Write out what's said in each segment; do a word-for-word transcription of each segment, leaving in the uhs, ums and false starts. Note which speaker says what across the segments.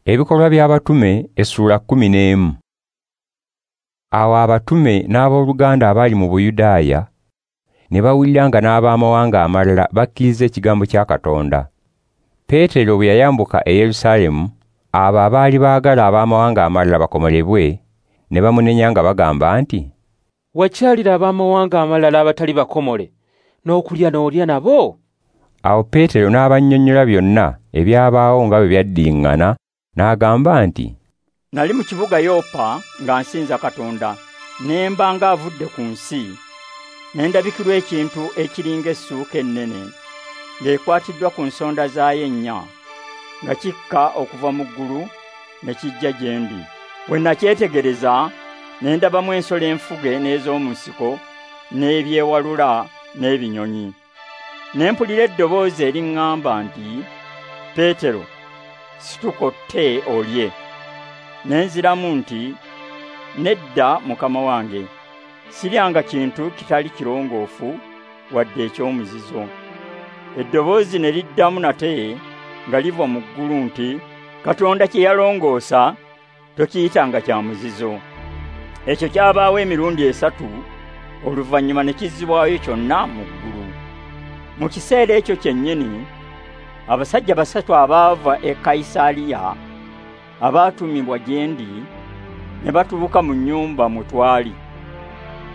Speaker 1: Ebikolwa by'abatume essuula kkumi n'emu. Awo abatume n'abooluganda abaali mu Buyudaaya ne bawulira nga n'abamawanga amalala bakkiriza ekigambo kya Katonda. Peetero bwe yayambuka e Yerusaalemu, abo abaali baagala abamawanga amalala bakomolebwe ne bamunenya nga bagamba nti,
Speaker 2: "Wakyalira abamawanga amalala abatali bakomole n'okulya n'olya nabo?"
Speaker 1: Awo Peetero n'abannyonnyola byonna ebyabaawo nga bwe byaddiŋŋana, n'agamba nti,
Speaker 3: "Nali mu kibuga Yopa nga nsinza Katonda, ne mba ng'avudde ku nsi, ne ndabikirwa ekintu ekiringa essuuka ennene ng'ekwatiddwa ku nsonda zaayo ennya, nga kikka okuva mu ggulu ne kijja gye ndi. Bwe nakyetegereza ne ndabamu ensolo enfuge n'ez'omu nsiko n'ebyewalula n'ebinyonyi. Ne mpulira eddoboozi eriŋŋamba nti, 'Peetero, situka otte olye.' Ne nziramu nti, 'Nedda, Mukama wange, siryanga kintu kitali kirongoofu wadde eky'omuzizo.' Eddoboozi ne liddamu nate nga liva mu ggulu nti, 'Katonda kye yalongoosa tokiyitanga kya muzizo.' Ekyo kyabaawo emirundi esatu, oluvannyuma ne kizzibwayo kyonna mu ggulu. Mu kiseera ekyo kyennyini abasajja basatu abaava e Kayisaaliya abaatumibwa gye ndi ne batuuka mu nnyumba mwe twali.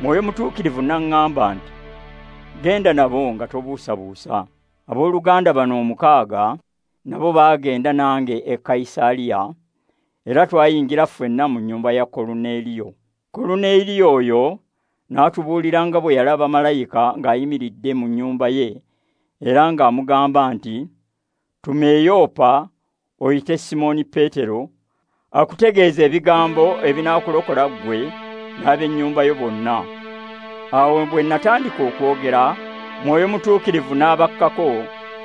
Speaker 3: Mwoyo Mutuukirivu n'aŋŋamba nti, 'Genda nabo nga tobuusabuusa.' Abooluganda bano omukaaga nabo baagenda nange e Kayisaaliya, era twayingira ffenna mu nnyumba ya Koluneeriyo. Koluneeriyo oyo n'atubuulira nga bwe yalaba malayika ng'ayimiridde mu nnyumba ye, era ng'amugamba nti, 'Tuma e Yopa oyite Simooni Peetero akutegeeze ebigambo ebinaakulokola ggwe n'ab'ennyumba yo bonna.' Awo bwe natandika okwogera, Mwoyo Mutuukirivu n'abakkako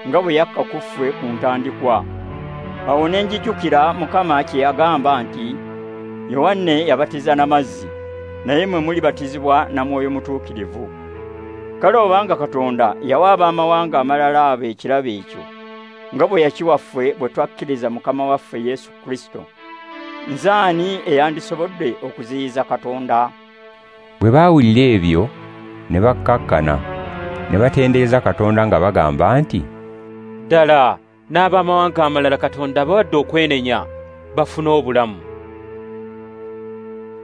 Speaker 3: nga bwe yakka ku ffe ku ntandikwa. Awo ne njijukira Mukama kye yagamba nti, 'Yowanne yabatiza na mazzi, naye mmwe mulibatizibwa na Mwoyo Mutuukirivu.' Kale obanga Katonda yawa abamawanga amalala abo ekirabo ekyo, nga bwe yakiwa ffe bwe twakkiriza Mukama waffe Yesu Kristo, nze ani eyandisobodde okuziyiza Katonda?"
Speaker 1: Bwe baawulira ebyo ne bakkakkana, ne batendereza Katonda nga bagamba nti,
Speaker 2: "Ddala n'abamawanga amalala Katonda abawadde okwenenya bafune obulamu."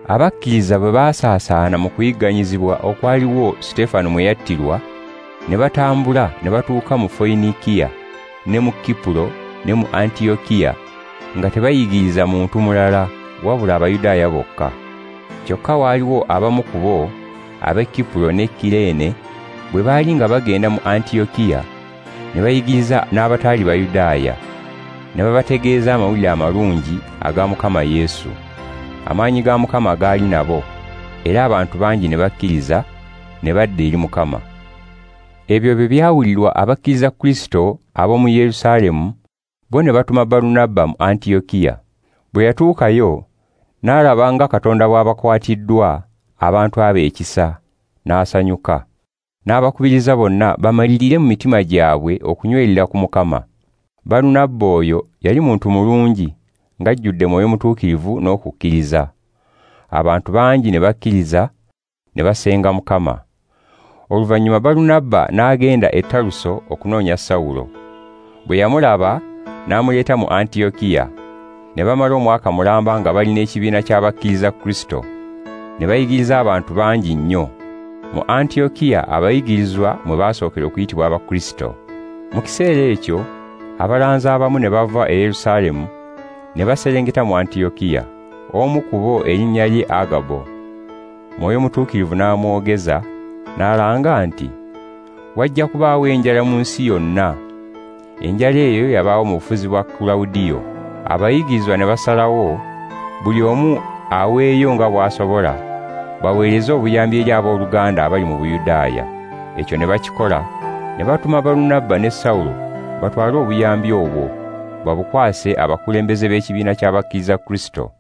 Speaker 1: Abakkiriza bwe baasaasaana mu kuyigganyizibwa okwaliwo Suteefano mwe yattirwa, ne batambula ne batuuka mu Foyinikiya ne mu Kipulo ne mu Antiyokiya, nga tebayigiriza muntu mulala wabula Abayudaaya bokka. Kyokka waaliwo abamu ku bo ab'e Kipulo ne Kireene bwe baali nga bagenda mu Antiyokiya ne bayigiriza n'abataali Bayudaaya, ne babategeeza amawulire amalungi aga Mukama Yesu. Amaanyi ga Mukama gaali nabo, era abantu bangi ne bakkiriza ne badda eri Mukama. Ebyo bwe byawulirwa abakkiriza Kristo ab'omu Yerusaalemu, bo ne batuma Balunabba mu Antiyokiya. Bwe yatuukayo n'alaba nga Katonda bw'abakwatiddwa abantu abo ekisa, n'asanyuka. N'abakubiriza bonna bamalirire mu mitima gyabwe okunywerera ku Mukama. Balunabba oyo yali muntu mulungi, ng'ajjudde Mwoyo Mutuukirivu n'okukkiriza. Abantu bangi ne bakkiriza ne basenga Mukama. Oluvannyuma Balunabba n'agenda e Taluso okunoonya Sawulo. Bwe yamulaba n'amuleeta mu Antiyokiya. Ne bamala omwaka mulamba nga balina ekibiina ky'abakkiriza Kristo, ne bayigiriza abantu bangi nnyo. Mu Antiyokiya abayigirizwa mwe baasookera okuyitibwa Abakristo. Mu kiseera ekyo abalanzi abamu ne bava e Yerusaalemu ne baserengeta mu Antiyokiya. Omu ku bo erinnya lye Agabo. Mwoyo Mutuukirivu n'amwogeza n'alanga nti, "Wajja kubaawo enjala mu nsi yonna." Enjala eyo yabaawo mu bufuzi bwa Kulawudiyo. Abayigirizwa ne basalawo buli omu aweeyo nga bw'asobola, baweereze obuyambi eri abooluganda abali mu Buyudaaya. Ekyo ne bakikola, ne batuma Balunabba ne Sawulo batwale obuyambi obwo babukwase abakulembeze b'ekibiina ky'abakkiriza Kristo.